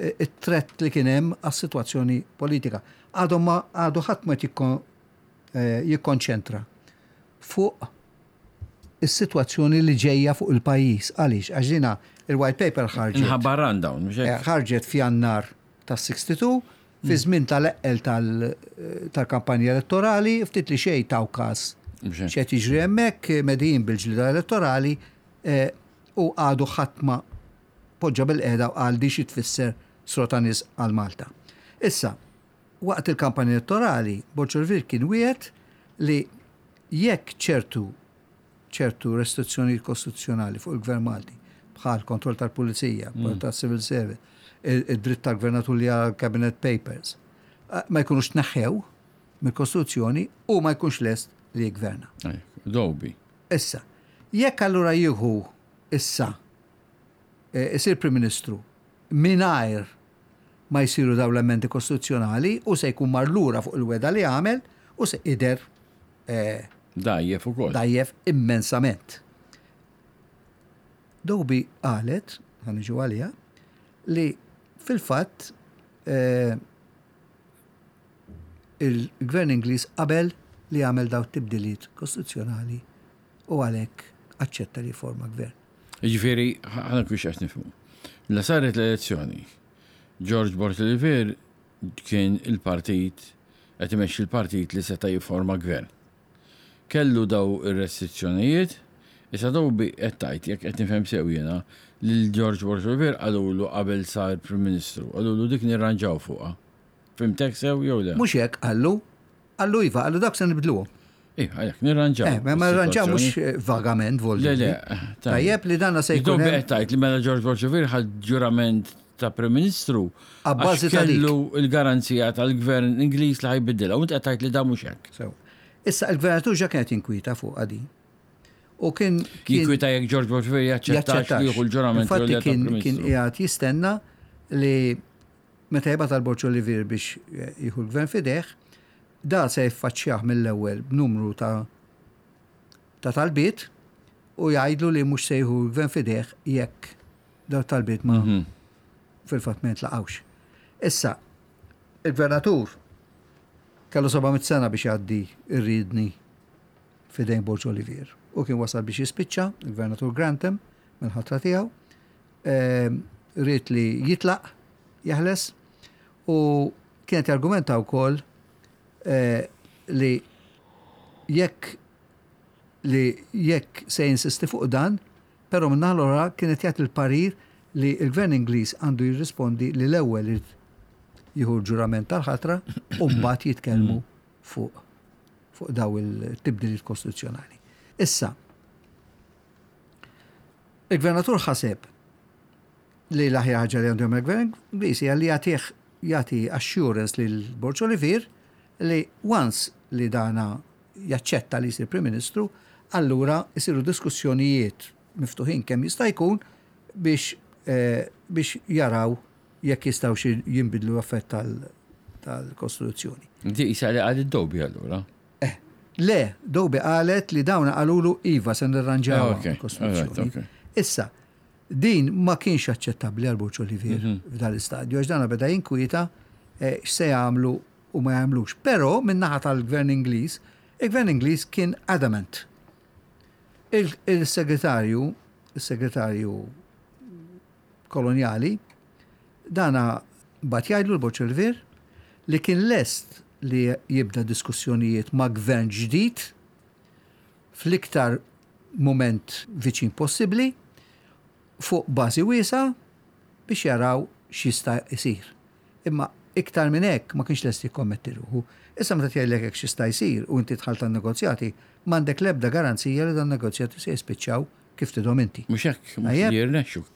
B: It-threat li kien hemm għas-sitwazzjoni politika. Għadhom ma għadu ħadd ma jikkonċentra fuq is-sitwazzjoni li ġejja fuq il-pajjiż. Għaliex? Għax dina il-white paper ħarġet.
A: Inħabba rundown, mhux hekk?
B: Ħarġet f'Jannar tas-62, fi żmien tal-eqqel tal-kampanja elettorali, ftit li xejn taw każ x'qed jiġri hemmhekk, medijin bil-ġlieda elettorali u għadu ħadd ma poġġa bil-qiegħda u qal di xi tfisser srota nies għal Malta. Issa, waqt il-kampanja elettorali, Borg Olivier kien wiegħed li jekk ċertu ċertu restrizzjonijiet kostituzzjonali fuq il-Gvern Malti, bħal kontroll tal-pulizija, kontroll tas-civil service, id-dritt tal-gvernatur li jara l-cabinet papers, ma jkunux tneħħew mill-Kostituzzjoni u ma jkunx lest li jiggverna.
A: Dobi.
B: Issa, jekk allura jieħu issa isir Prim Ministru mingħajr ma jsiru dawn l-emendi kostituzzjonali u se jkun mar lura fuq il-wegħda li għamel u se jidher
A: Dgħajjef ukoll.
B: Dgħajjef immensament. Dobi qalet, ħa niġu għaliha, li fil-fatt il-Gvern Ingliż qabel li jagħmel dawn it-tibdiliet kostituzzjonali u għalhekk aċċetta li jifforma gvern.
A: Jiġifieri, ħa nkun x'qed nifhmu. La saret l-elezzjoni, George Borg Olivier kien il-partit qed imexxi l-partit li seta' jifforma gvern. Kellu daw ir-restrizzjonijiet, Issa Toby qed tgħid, jekk qed nifhem sew jiena, lil George Borg Olivier qalulu qabel sar Prim Ministru, qalulu dik nirranġaw fuqha. Fhimtek sew jew le?
B: Mhux hekk qallu. Qallu iva, qallu dawk se nibdluhom.
A: Iva, għalhekk nirranġaw.
B: Eh, ma nirranġaw mhux eh, vagament
A: vol. Le, le.
B: Tajjeb li danna se jkun.
A: Toby qed tgħid li mela George Borg Olivier ħa ġurament ta' Prim Ministru.
B: Abbażi
A: ta' kellu l-garanzija tal-Gvern Ingliż li ħa jbiddilha u int qed tgħid li dan mhux hekk.
B: Sew. Issa il-gvernatur ġa kien qed jinkwieta fuqha din. U kien.
A: Jinkwieta jekk George Bush jaċċettax li jieħu l-ġurament.
B: Infatti kien kien qiegħed jistenna li meta jibgħat għal Borg Olivier biex jieħu l-gvern f'idejh, da se jiffaċċjah mill-ewwel b'numru ta' ta' talbiet u jgħidlu li mhux se jieħu l-gvern f'idejh jekk daw talbiet ma mhm. fil-fatt ma jintlaqgħux. Issa, il-gvernatur kellu 700 sena biex jgħaddi ir-riedni f'idejn Borg Olivier. U kien wasal biex jispiċċa, il-Gvernatur Grantham, mill-ħatra tiegħu, ehm, ried li jitlaq, jeħles, u kienet jargumenta wkoll eh, li jekk li jekk se jinsisti fuq dan, però minnaħa l-oħra kienet jagħti l-parir li l-Gvern Ingliż għandu jirrispondi li l-ewwel irid jieħu l-ġurament tal-ħatra u mbagħad jitkellmu fuq fuq daw il-tibdiliet kostituzzjonali. Issa, il-gvernatur ħaseb li l-aħjar ħaġa li għandu jagħmel gvern Ingliż hija li jagħtih jagħti assurance lil Borg Olivier li once li dana jaċċetta li jsir Prim Ministru, allura jsiru diskussjonijiet miftuħin kemm jista' jkun biex eh, biex jaraw jekk jistgħux jinbidlu l-affett tal-Kostituzzjoni.
A: Di qisha li qalet Doby allura.
B: Eh, le, Doby qalet li dawn qalulu iva se nirranġaw ah, il-Kostituzzjoni. Issa, din ma kienx aċċettabbli għal Borg Olivier mhm. f'dan l-istadju, għax dan beda jinkwieta eh, x'se jagħmlu u ma jagħmlux. Però min-naħa tal-Gvern Ingliż, il-Gvern Ingliż kien adamant. Il-segretarju, il-segretarju kolonjali, dana bagħat jgħidlu l-Borg Olivier li kien lest li jibda diskussjonijiet ma' gvern ġdid fl-iktar mument viċin possibbli fuq bażi wiesgħa biex jaraw x'jista' jsir. Imma iktar minn hekk ma kienx lest jikkommetti ruħu. Issa meta tgħidlek hekk x'jista' jsir u inti dħalt għan-negozjati, m'għandek l-ebda garanzija li dan negozjati se jispiċċaw kif tidhom inti.
A: Mhux hekk, mhux li jirnexxu.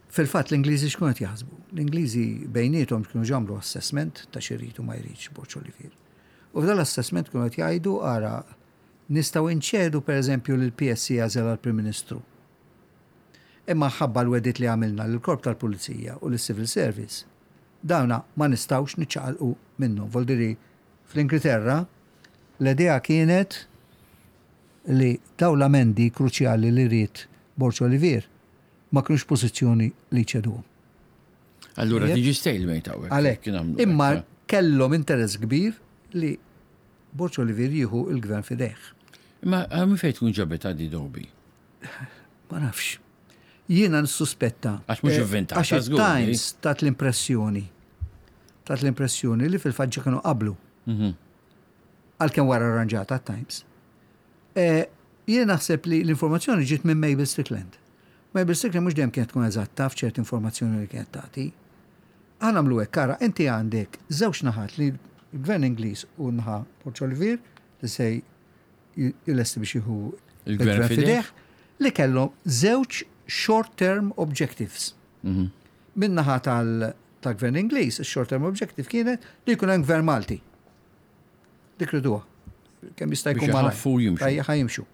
B: Fil-fatt l-Ingliżi x'kienu qed jaħsbu? L-Ingliżi bejniethom kienu ġamlu assessment ta' xi jrid u ma jridx Borg Olivier. U f'dan l-assessment kienu qed jgħidu ara nistgħu nċedu pereżempju lil PSC jagħżel għall-Prim Ministru. Imma ħabba l-wegħdiet li għamilna lill-Korp tal-Pulizija u lis-Civil Service, dawna ma nistgħux niċċaqalqu minnhom. Voldiri fl-Ingilterra l-idea kienet li dawn l-amendi kruċjali li ried Borg Olivier ma kinux f'pożizzjoni li jċeduhom.
A: Allura tiġi stalemate hawnhekk.
B: Għalhekk. Imma kellhom interess kbir li Borg Olivier jieħu l-gvern f'idejh.
A: Imma eh, minn fejn tkun ġabet għaddi Dobi?
B: Ma nafx. Jiena nissuspetta.
A: Għax mhux eh, inventata.
B: Għax Times tat l-impressjoni. Tat l-impressjoni li fil-fatt ġa kienu qablu. Mhm. Għalkemm wara arranġata Times. Eh, jien naħseb li l-informazzjoni ġiet minn Mabel Strickland. Mabel Strickland mhux dejjem kienet tkun eżatta f'ċerti informazzjoni li kienet tagħti. Aħna nagħmlu hekk, ara, inti għandek żewġ naħat li l-Gvern Ingliż u naħa Borg Olivier li se jlesti biex jieħu
A: il-gvern fideh
B: li kellhom żewġ short-term objectives. Mhm. Min-naħa tal-Gvern Ingliż, il-short term objective kienet li jkun hemm gvern Malti. Dik riduha. Kemm jista' jkun
A: malajr.
B: Ħa jimxu.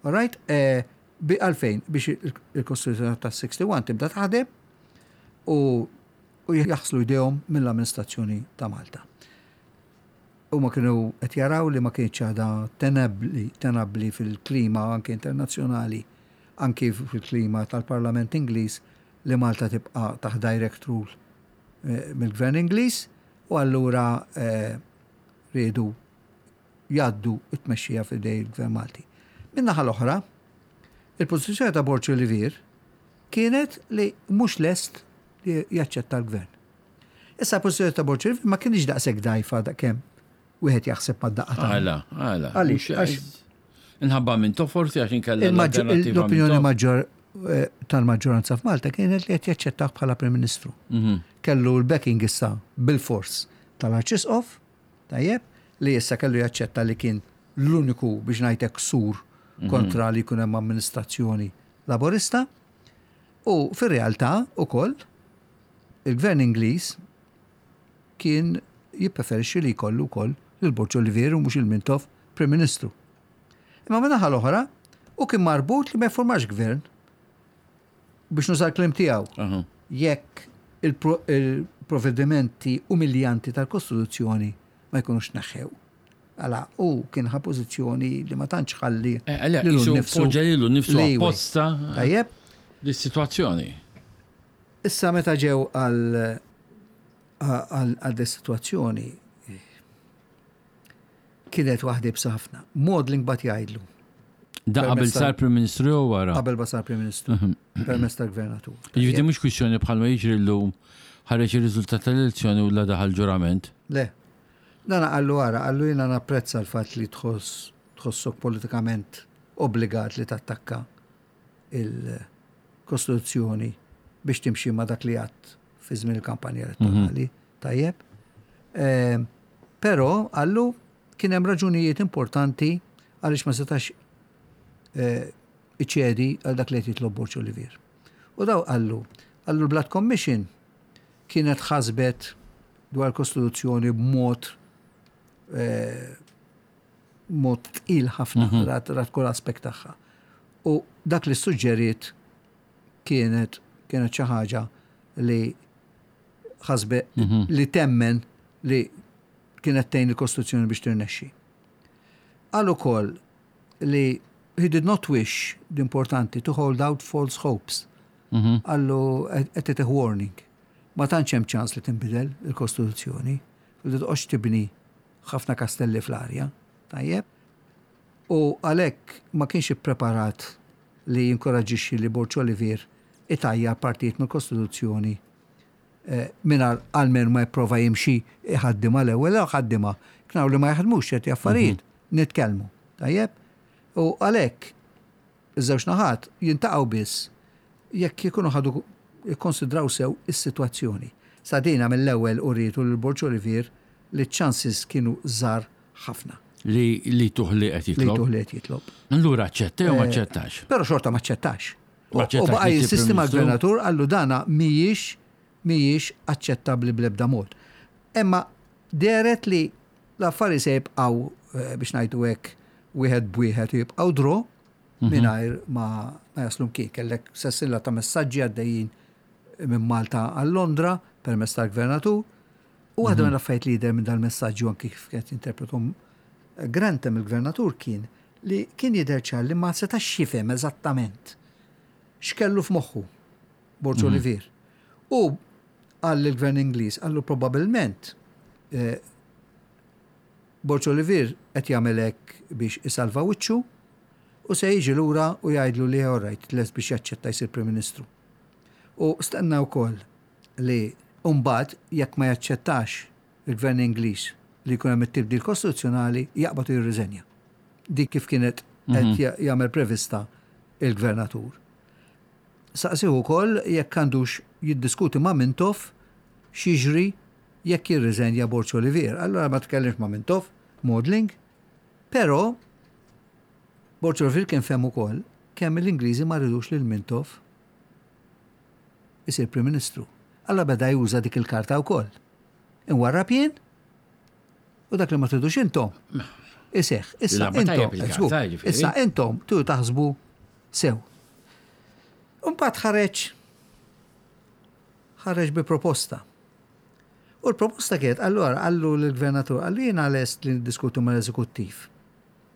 B: All right? Eh, għalfejn biex il-Kostituzzjoni ta' 61 tibda taħdem u u jaħslu jdejhom mill-amministrazzjoni ta' Malta. Huma kienu qed jaraw li ma kienx għadha tenabbli, tenabbli fil-klima anke internazzjonali, anke fil-klima tal-Parlament Ingliż li Malta tibqa' taħt direct rule eh, mill-Gvern Ingliż u allura eh, riedu jgħaddu t-tmexxija f'idej il-Gvern Malti. Min-naħa l-oħra, il-pożizzjoni ta' Borg Olivier kienet li mhux lest li jaċċetta l-gvern. Issa l-pożizzjoni ta' Borg Olivier ma kienx daqshekk dgħajfa daqkemm wieħed jaħseb mad-daqqa
A: ta' Għala, għala.
B: Għaliex?
A: Inħabba Mintoff forsi għax inkella l-alternattiva
B: L-opinjoni maġġor eh, tal-maġġoranza f'Malta kienet li qed jaċċettah bħala Prim Ministru. Mhm. Kellu l-backing issa bil-fors tal-Arċisqof, tajjeb, li issa kellu jaċċetta li kien l-uniku biex ngħidlek sur mhm. kontra li jkun hemm amministrazzjoni laborista. U fir-realtà ukoll il-Gvern Ingliż kien jippreferixxi li jkollu wkoll lil Borg Olivier u mhux il Mintoff Prim Ministru. Imma min-naħa l-oħra, hu kien marbut li ma jiffurmax gvern biex nuża l-kliem tiegħu. Jekk il-provvedimenti umiljanti tal-Kostituzzjoni ma jkunux tneħħew. Għala, hu kien ħa pożizzjoni li ma tantx ħalli
A: eh, lilu nnifsu. Poġġa lilu nnifsu apposta.
B: Tajjeb.
A: Dis-sitwazzjoni.
B: Issa meta ġew għal għal dis-sitwazzjoni kienet waħda ibsa ħafna. Maudling bat jgħidlu.
A: Da qabel sar Prim Ministru jew wara?
B: Qabel ma sar Prim Ministru. Mhm. Permezz tal-Gvernatur.
A: Jiġifieri mhux kwistjoni bħalma jiġri llum ħareġ ir-riżultat tal-elezzjoni u la daħal ġurament.
B: Le. Dan qallu ara, qallu jiena napprezza l-fatt li tħoss tħossok politikament obbligat li tattakka il-Kostituzzjoni biex timxi ma' dak li għadt fi żmien il-kampanja elettorali. Mhm. Tajjeb. Ehm, però għallu kien hemm raġunijiet importanti għaliex ma setax eh, iċedi għal dak li qed jitlob Borġ Olivier. U daw qallu, qallu l-Blood Commission kienet ħasbet dwar kostituzzjoni b'mod eh, mod tqil ħafna mhm. rat, rat kull aspekt tagħha. U dak li suġġeriet kienet kienet xi ħaġa li ħasbe mhm. li temmen li kienet tgħin il-Kostituzzjoni biex tirnexxi. Qal ukoll li he did not wish, l-importanti, to hold out false hopes. Mhm. Qallu qed warning. Ma tantx hemm ċans li tinbidel il-Kostituzzjoni, li toqgħodx tibni ħafna kastelli fl-arja, tajjeb? U għalhekk ma kienx ippreparat li jinkoraġġixxi li Borg Olivier itajjar partijiet mill-Kostituzzjoni eh, mingħajr almenu ma jipprova jimxi iħaddimha l-ewwel, jew ħaddimha. Knaw li ma jaħdmux ċerti affarijiet, mhm. nitkellmu. Tajjeb? U għalhekk Iż-żewġ naħat jintaqgħu biss jekk ikunu ħadu ikkonsidraw sew is-sitwazzjoni. Sa dina mill-ewwel urietu lil Borg Olivier li ċ-chances kienu żgħar ħafna.
A: Li li jtuh li qed
B: jitlob. Li jtuh li qed jitlob.
A: Allura aċċetta jew ma aċċettax?
B: Però xorta ma aċċettax. U baqa' jinsisti mal-Gvernatur qallu dana mhijiex mhijiex aċċettabbli bl-ebda mod. Imma dehret li l-affari se jibqgħu eh, biex ngħidu hekk wieħed b'wieħed u jibqgħu draw mhm. mingħajr ma jaslu mkien. Kellek sessilla ta' messaġġi għaddejjin minn Malta għal Londra permezz tal-gvernatur. U waħda mhm. mill-affarijiet li jidher minn dal-messaġġi anki kif qed jinterpretom eh, Grantham il-gvernatur kien li kien jidher ċar li ma setax jifhem eżattament x'kellu f'moħħu Borġ mhm. Olivier. U qal lill-Gvern Ingliż, qallu probabbilment eh, Borg Olivier qed jagħmel hekk biex isalva wiċċu u se jiġi lura u jgħidlu li all right, lest biex jaċċetta jsir Prim Ministru. U stenna wkoll li mbagħad jekk ma jaċċettax il-Gvern Ingliż li jkun hemm it-tibdil kostituzzjonali jaqbad u jirriżenja. Dik kif kienet qed mhm. jagħmel prevista il-Gvernatur. Saqsih ukoll jekk għandux jiddiskuti ma' Mintoff x'jiġri jekk jirriżenja Borg Olivier. Allura ma tkellimx ma' Mintoff, Maudling, però Borg Olivier kien fehem ukoll kemm l-Ingliżi ma ridux lil Mintoff isir Prim Ministru. Allura beda juża dik il-karta wkoll. Inwarrab jien u dak li ma tridux intom iseħħ. Issa intom, issa intom tu taħsbu sew. Imbagħad ħareġ ħareġ bi proposta. U l-proposta kienet, allura qallu lill-gvernatur, qallu jiena lest li niddiskutu mal-eżekuttiv.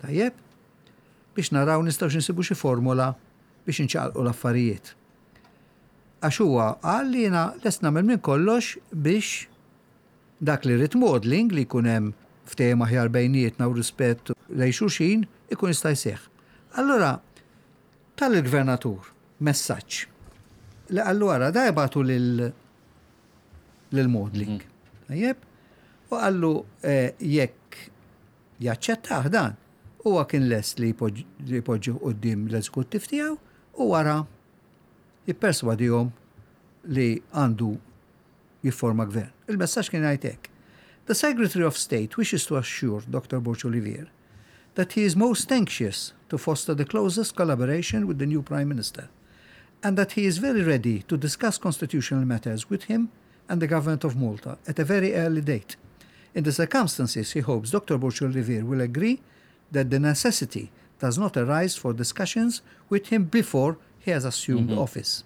B: Tajjeb? Biex naraw nistgħux insibu xi formola biex inċaqalqu l-affarijiet. Għax huwa qal li jiena lest nagħmel minn kollox biex dak li rrid Maudling li jkun hemm ftehim aħjar bejnietna u rispett lejn xulxin ikun jista' jseħħ. Allura Ta lill-gvernatur messaġġ li qallu ara da jibgħatu lil lil Maudling. Mm. Tajjeb? U qallu eh, jekk jaċċettah dan. Huwa kien lest li jpoġġih quddiem l-eżekuttiv tiegħu u wara jipperswadihom li għandu jifforma gvern. Il-messaġġ kien jgħid hekk. The Secretary of State wishes to assure Dr. Borg Olivier that he is most anxious to foster the closest collaboration with the new Prime Minister and that he is very ready to discuss constitutional matters with him and the government of Malta at a very early date. In the circumstances, he hopes Dr. Borg Olivier will agree that the necessity does not arise for discussions with him before he has assumed mm -hmm. office.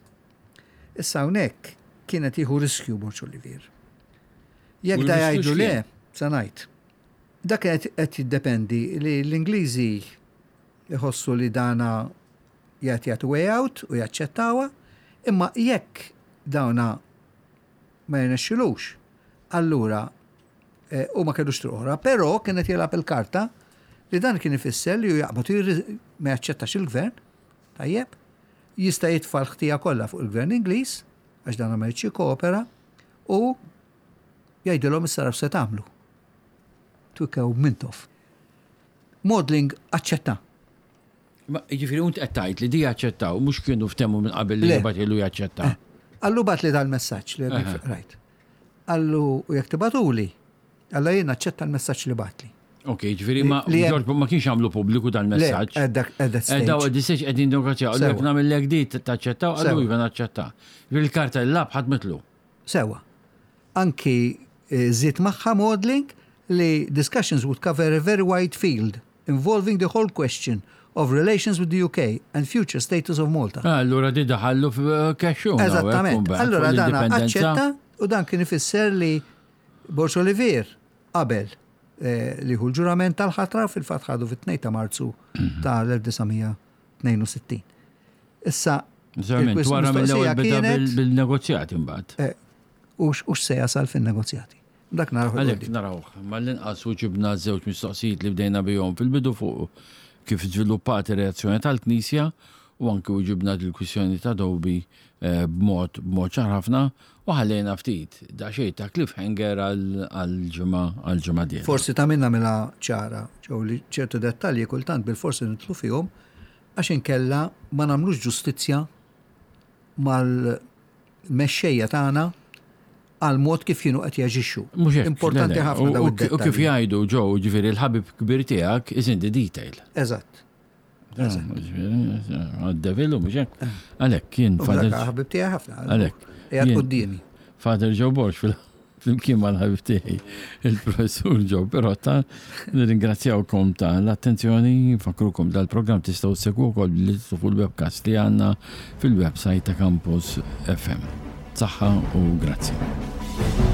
B: Issa hawnhekk kien qed jieħu riskju Borg Olivier. Jekk da jgħidu le, se ngħid. Dak qed jiddependi li l-Ingliżi jħossu li dana jgħid jagħtu way out u jaċċettawha, imma jekk dawna ma jirnexxilux, allura eh, u ma kellux triq oħra, però kien qed jilgħab il-karta li dan kien ifisser li hu jaqbad ma jaċċettax il-gvern, tajjeb, jista' jitfa' l-ħtija kollha fuq il-gvern Ingliż, għax dan ma jridx jikkoopera, u jgħidilhom issa se tagħmlu. Twikkew Mintoff. Maudling aċċetta.
A: Ma jiġifieri unt qed tgħid li di jaċċettaw, mhux kienu ftehmu minn qabel li jibgħatilu jaċċetta. Eh,
B: Allu bat li dal-messaġġ li rajt. Allu u jekk tibatuli, alla jien aċċetta l-messaġġ li batli.
A: Ok, ġifieri ma Ġorġ ma kienx għamlu pubbliku dal-messaġġ. Daw għed qegħdin negozjaw, jekk nagħmellek di taċċettaw, għallu iva naċċetta. Ġifieri l-karta l-lab ħadmitlu.
B: Sewa. Anki żied magħha Maudling li discussions would cover a very wide field involving the whole question of relations with the UK and future status of Malta.
A: Ah, allura di daħallu f'kexxun.
B: Eżattament. Allura dan aċċetta u dan kien ifisser li Borg Olivier qabel eh, li hu l-ġurament tal-ħatra fil-fatt ħadu fit-2 ta' Marzu mhm. tal-1962. Issa,
A: wara mill-ewwel beda bil-negozjati mbagħad. Eh,
B: u x'se jasal fin-negozjati. Dak narawh.
A: Għalhekk narawh. Mal-inqas u ġibna żewġ mistoqsijiet li bdejna bihom fil-bidu fuq kif żviluppat ir-reazzjoni tal-Knisja u anki u ġibna il-kwistjoni ta' Dobi eh, b'mod b'mod ċar ħafna u ħallejna ftit daqsxejn ta' cliffhanger għal-ġimgħa għal-ġimgħa dieħla.
B: Forsi ta' minna mela ċara, ġew li ċertu dettalji kultant bil-forsi nidħlu fihom għax inkella ma nagħmlux ġustizzja mal-mexxejja tagħna għal mod kif kienu qed jaġixxu.
A: Mhux hekk.
B: Importanti ħafna dawn
A: id U kif jgħidu ġew, ġifieri l-ħabib kbir tiegħek is in the detail.
B: Eżatt.
A: Għad-devil u mhux hekk. Għalhekk kien
B: Father. Ħabib tiegħi ħafna.
A: Għalhekk.
B: Qiegħed quddiemi.
A: Father Joe Borg fil flimkien mal-ħabib tiegħi il-professur Joe Pirotta, nirringrazzjawkom ta' l-attenzjoni, nfakkrukom dal-programm tistgħu ssegwu wkoll billi tidħlu fuq il-webcast li għandna fil-website ta' Campus FM. Saħħa u grazzi.